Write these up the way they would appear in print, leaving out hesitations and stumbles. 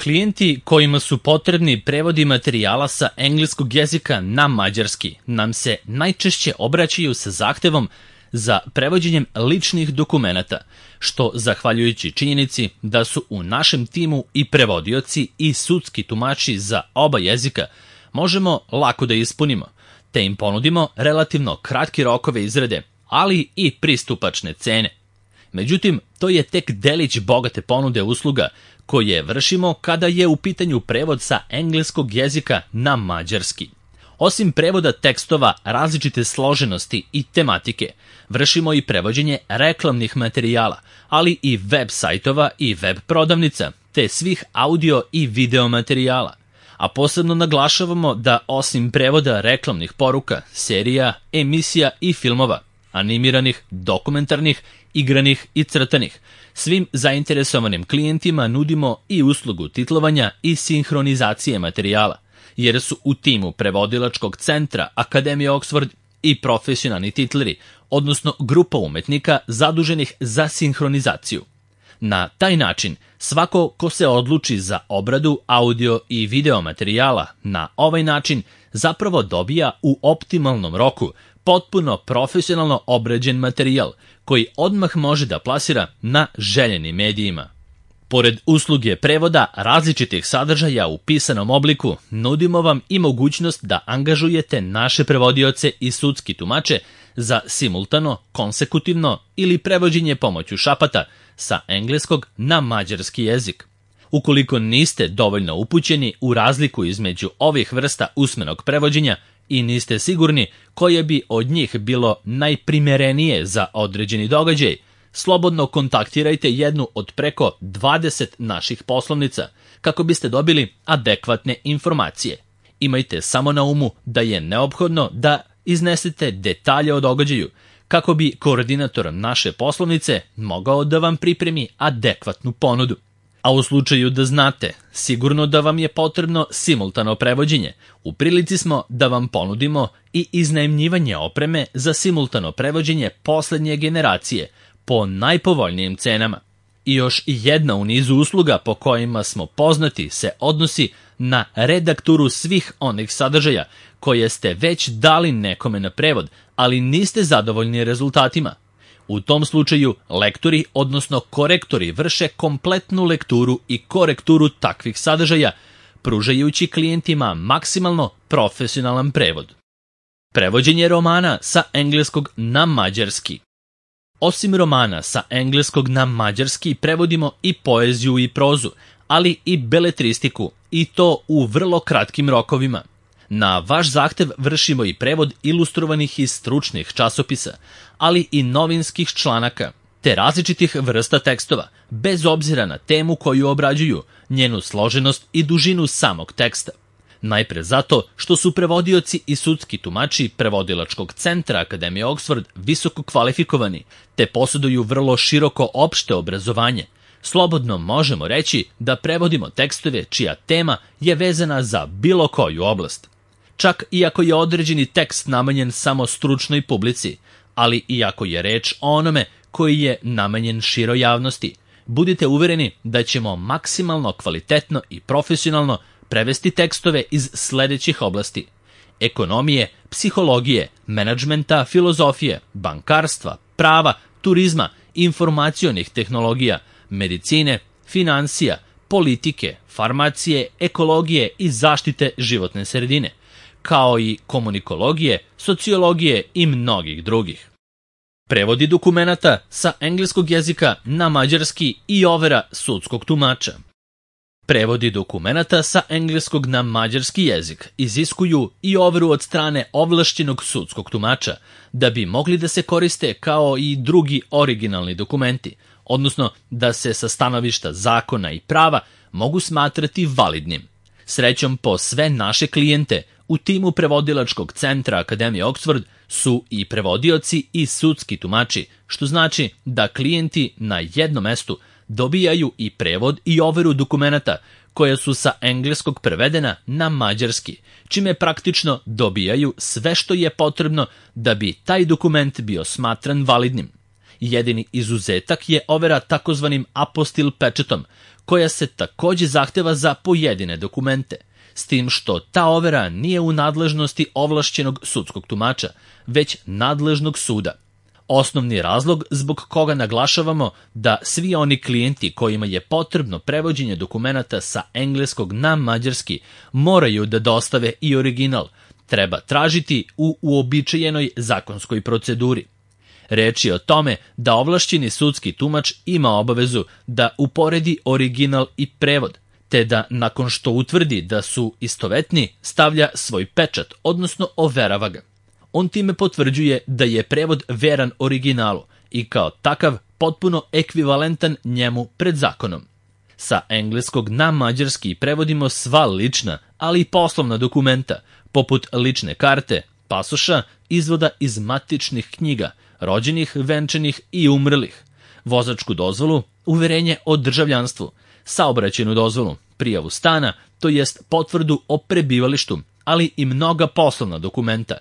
Klijenti kojima su potrebni prevodi materijala sa engleskog jezika na mađarski nam se najčešće obraćaju sa zahtevom za prevođenjem ličnih dokumenata, što zahvaljujući činjenici da su u našem timu i prevodioci i sudski tumači za oba jezika, možemo lako da ispunimo, te im ponudimo relativno kratke rokove izrade, ali i pristupačne cene. Međutim, to je tek delić bogate ponude usluga koje vršimo kada je u pitanju prevod sa engleskog jezika na mađarski. Osim prevoda tekstova različite složenosti i tematike, vršimo i prevođenje reklamnih materijala, ali i web sajtova i web prodavnica, te svih audio i video materijala. A posebno naglašavamo da osim prevoda reklamnih poruka, serija, emisija i filmova, animiranih, dokumentarnih, igranih i crtanih, svim zainteresovanim klijentima nudimo i uslugu titlovanja i sinhronizacije materijala, jer su u timu prevodilačkog centra Akademije Oxford i profesionalni titleri, odnosno grupa umetnika zaduženih za sinhronizaciju. Na taj način, svako ko se odluči za obradu audio i video materijala na ovaj način zapravo dobija u optimalnom roku potpuno profesionalno obrađen materijal koji odmah može da plasira na željenim medijima. Pored usluge prevoda različitih sadržaja u pisanom obliku, nudimo vam i mogućnost da angažujete naše prevodioce i sudski tumače za simultano, konsekutivno ili prevođenje pomoću šapata sa engleskog na mađarski jezik. Ukoliko niste dovoljno upućeni u razliku između ovih vrsta usmenog prevođenja i niste sigurni koje bi od njih bilo najprimerenije za određeni događaj, slobodno kontaktirajte jednu od preko 20 naših poslovnica kako biste dobili adekvatne informacije. Imajte samo na umu da je neophodno da iznesete detalje o događaju kako bi koordinator naše poslovnice mogao da vam pripremi adekvatnu ponudu. A u slučaju da znate sigurno da vam je potrebno simultano prevođenje, u prilici smo da vam ponudimo i iznajmljivanje opreme za simultano prevođenje poslednje generacije po najpovoljnijim cenama. I još jedna u nizu usluga po kojima smo poznati se odnosi na redakturu svih onih sadržaja koje ste već dali nekome na prevod, ali niste zadovoljni rezultatima. U tom slučaju lektori, odnosno korektori, vrše kompletnu lekturu i korekturu takvih sadržaja, pružajući klijentima maksimalno profesionalan prevod. Prevođenje romana sa engleskog na mađarski. Osim romana sa engleskog na mađarski prevodimo i poeziju i prozu, ali i beletristiku, i to u vrlo kratkim rokovima. Na vaš zahtev vršimo i prevod ilustrovanih i stručnih časopisa, ali i novinskih članaka, te različitih vrsta tekstova, bez obzira na temu koju obrađuju, njenu složenost i dužinu samog teksta. Najpre zato što su prevodioci i sudski tumači prevodilačkog centra Akademije Oxford visoko kvalifikovani, te posjeduju vrlo široko opšte obrazovanje. Slobodno možemo reći da prevodimo tekstove čija tema je vezana za bilo koju oblast. Čak i ako je određeni tekst namenjen samo stručnoj publici, ali i ako je reč o onome koji je namenjen široj javnosti, budite uvereni da ćemo maksimalno kvalitetno i profesionalno prevesti tekstove iz sledećih oblasti: ekonomije, psihologije, menadžmenta, filozofije, bankarstva, prava, turizma, informacionih tehnologija, medicine, finansija, politike, farmacije, ekologije i zaštite životne sredine, kao i komunikologije, sociologije i mnogih drugih. Prevodi dokumenata sa engleskog jezika na mađarski i overa sudskog tumača. Prevodi dokumenata sa engleskog na mađarski jezik iziskuju i overu od strane ovlašćenog sudskog tumača da bi mogli da se koriste kao i drugi originalni dokumenti, odnosno da se sa stanovišta zakona i prava mogu smatrati validnim. Srećom po sve naše klijente, u timu prevodilačkog centra Akademije Oxford su i prevodioci i sudski tumači, što znači da klijenti na jednom mestu dobijaju i prevod i overu dokumenata koja su sa engleskog prevedena na mađarski, čime praktično dobijaju sve što je potrebno da bi taj dokument bio smatran validnim. Jedini izuzetak je overa takozvanim apostil pečetom, koja se takođe zahteva za pojedine dokumente, s tim što ta overa nije u nadležnosti ovlašćenog sudskog tumača, već nadležnog suda. Osnovni razlog zbog koga naglašavamo da svi oni klijenti kojima je potrebno prevođenje dokumenata sa engleskog na mađarski moraju da dostave i original, treba tražiti u uobičajenoj zakonskoj proceduri. Reč je o tome da ovlašćeni sudski tumač ima obavezu da uporedi original i prevod, te da nakon što utvrdi da su istovetni stavlja svoj pečat, odnosno overava ga. On time potvrđuje da je prevod veran originalu i kao takav potpuno ekvivalentan njemu pred zakonom. Sa engleskog na mađarski prevodimo sva lična, ali i poslovna dokumenta, poput lične karte, pasoša, izvoda iz matičnih knjiga, rođenih, venčanih i umrlih, vozačku dozvolu, uverenje o državljanstvu, saobraćajnu dozvolu, prijavu stana, to jest potvrdu o prebivalištu, ali i mnoga poslovna dokumenta,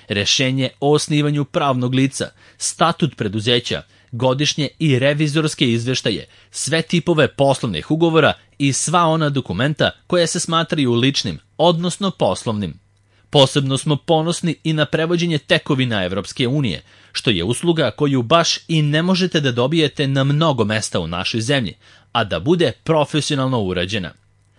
rešenje o osnivanju pravnog lica, statut preduzeća, godišnje i revizorske izveštaje, sve tipove poslovnih ugovora i sva ona dokumenta koja se smatraju ličnim, odnosno poslovnim. Posebno smo ponosni i na prevođenje tekovina Evropske unije, što je usluga koju baš i ne možete da dobijete na mnogo mesta u našoj zemlji, a da bude profesionalno urađena.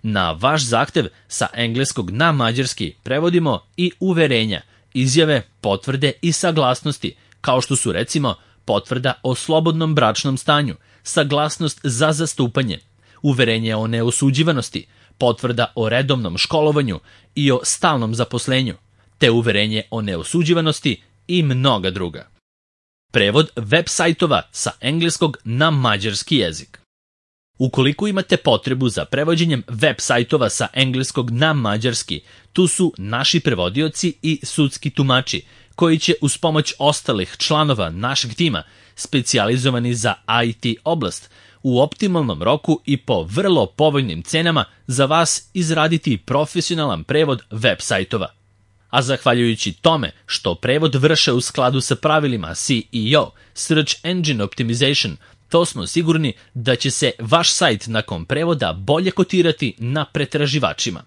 Na vaš zahtev sa engleskog na mađarski prevodimo i uverenja, izjave, potvrde i saglasnosti, kao što su recimo potvrda o slobodnom bračnom stanju, saglasnost za zastupanje, uverenje o neosuđivanosti, potvrda o redovnom školovanju i o stalnom zaposlenju, te uverenje o neosuđivanosti i mnoga druga. Prevod web sajtova sa engleskog na mađarski jezik. Ukoliko imate potrebu za prevođenjem web sajtova sa engleskog na mađarski, tu su naši prevodioci i sudski tumači, koji će uz pomoć ostalih članova našeg tima, specijalizovani za IT oblast, u optimalnom roku i po vrlo povoljnim cenama za vas izraditi profesionalan prevod web sajtova. A zahvaljujući tome što prevod vrše u skladu sa pravilima SEO, Search Engine Optimization, to smo sigurni da će se vaš sajt nakon prevoda bolje kotirati na pretraživačima.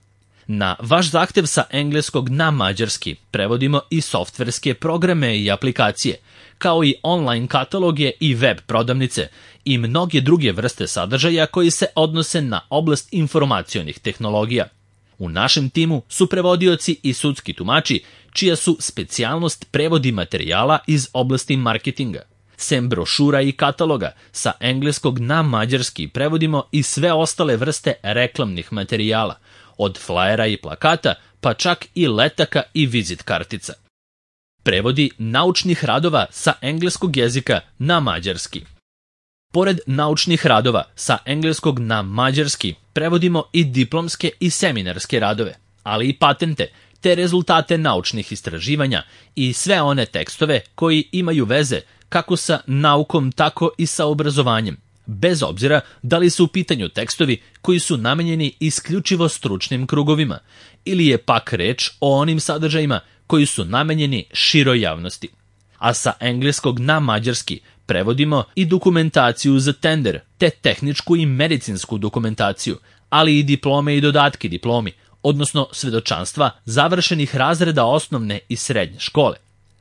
Na vaš zahtev sa engleskog na mađarski prevodimo i softverske programe i aplikacije, kao i online kataloge i web prodavnice i mnoge druge vrste sadržaja koji se odnose na oblast informacionih tehnologija. U našem timu su prevodioci i sudski tumači, čija su specijalnost prevodi materijala iz oblasti marketinga. Sem brošura i kataloga, sa engleskog na mađarski prevodimo i sve ostale vrste reklamnih materijala, od flajera i plakata, pa čak i letaka i vizit kartica. Prevodi naučnih radova sa engleskog jezika na mađarski. Pored naučnih radova sa engleskog na mađarski prevodimo i diplomske i seminarske radove, ali i patente, te rezultate naučnih istraživanja i sve one tekstove koji imaju veze kako sa naukom, tako i sa obrazovanjem, bez obzira da li su u pitanju tekstovi koji su namenjeni isključivo stručnim krugovima, ili je pak reč o onim sadržajima koji su namenjeni široj javnosti. A sa engleskog na mađarski prevodimo i dokumentaciju za tender, te tehničku i medicinsku dokumentaciju, ali i diplome i dodatke diplomi, odnosno svedočanstva završenih razreda osnovne i srednje škole.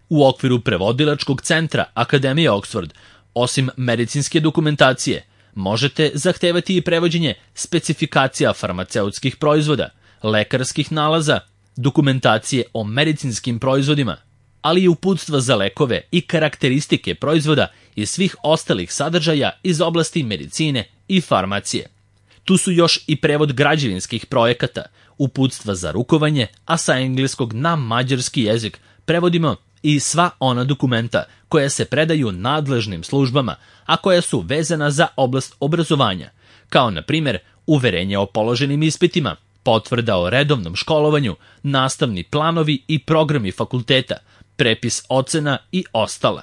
U okviru prevodilačkog centra Akademije Oxford, osim medicinske dokumentacije, možete zahtevati i prevođenje specifikacija farmaceutskih proizvoda, lekarskih nalaza, dokumentacije o medicinskim proizvodima, ali i uputstva za lekove i karakteristike proizvoda i svih ostalih sadržaja iz oblasti medicine i farmacije. Tu su još i prevod građevinskih projekata, uputstva za rukovanje, a sa engleskog na mađarski jezik prevodimo i sva ona dokumenta koja se predaju nadležnim službama, a koja su vezana za oblast obrazovanja, kao na primjer uverenje o položenim ispitima, potvrda o redovnom školovanju, nastavni planovi i programi fakulteta, prepis ocena i ostala.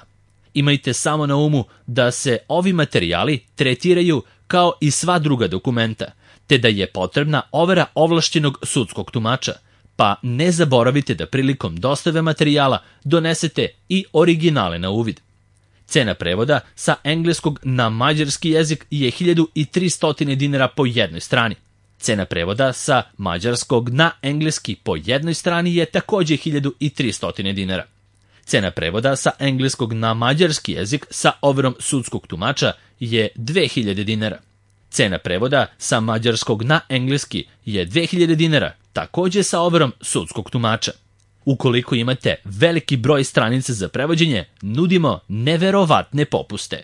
Imajte samo na umu da se ovi materijali tretiraju kao i sva druga dokumenta, te da je potrebna overa ovlašćenog sudskog tumača, pa ne zaboravite da prilikom dostave materijala donesete i originale na uvid. Cena prevoda sa engleskog na mađarski jezik je 1300 dinara po jednoj strani. Cena prevoda sa mađarskog na engleski po jednoj strani je takođe 1300 dinara. Cena prevoda sa engleskog na mađarski jezik sa overom sudskog tumača je 2000 dinara. Cena prevoda sa mađarskog na engleski je 2000 dinara, takođe sa overom sudskog tumača. Ukoliko imate veliki broj stranica za prevođenje, nudimo neverovatne popuste.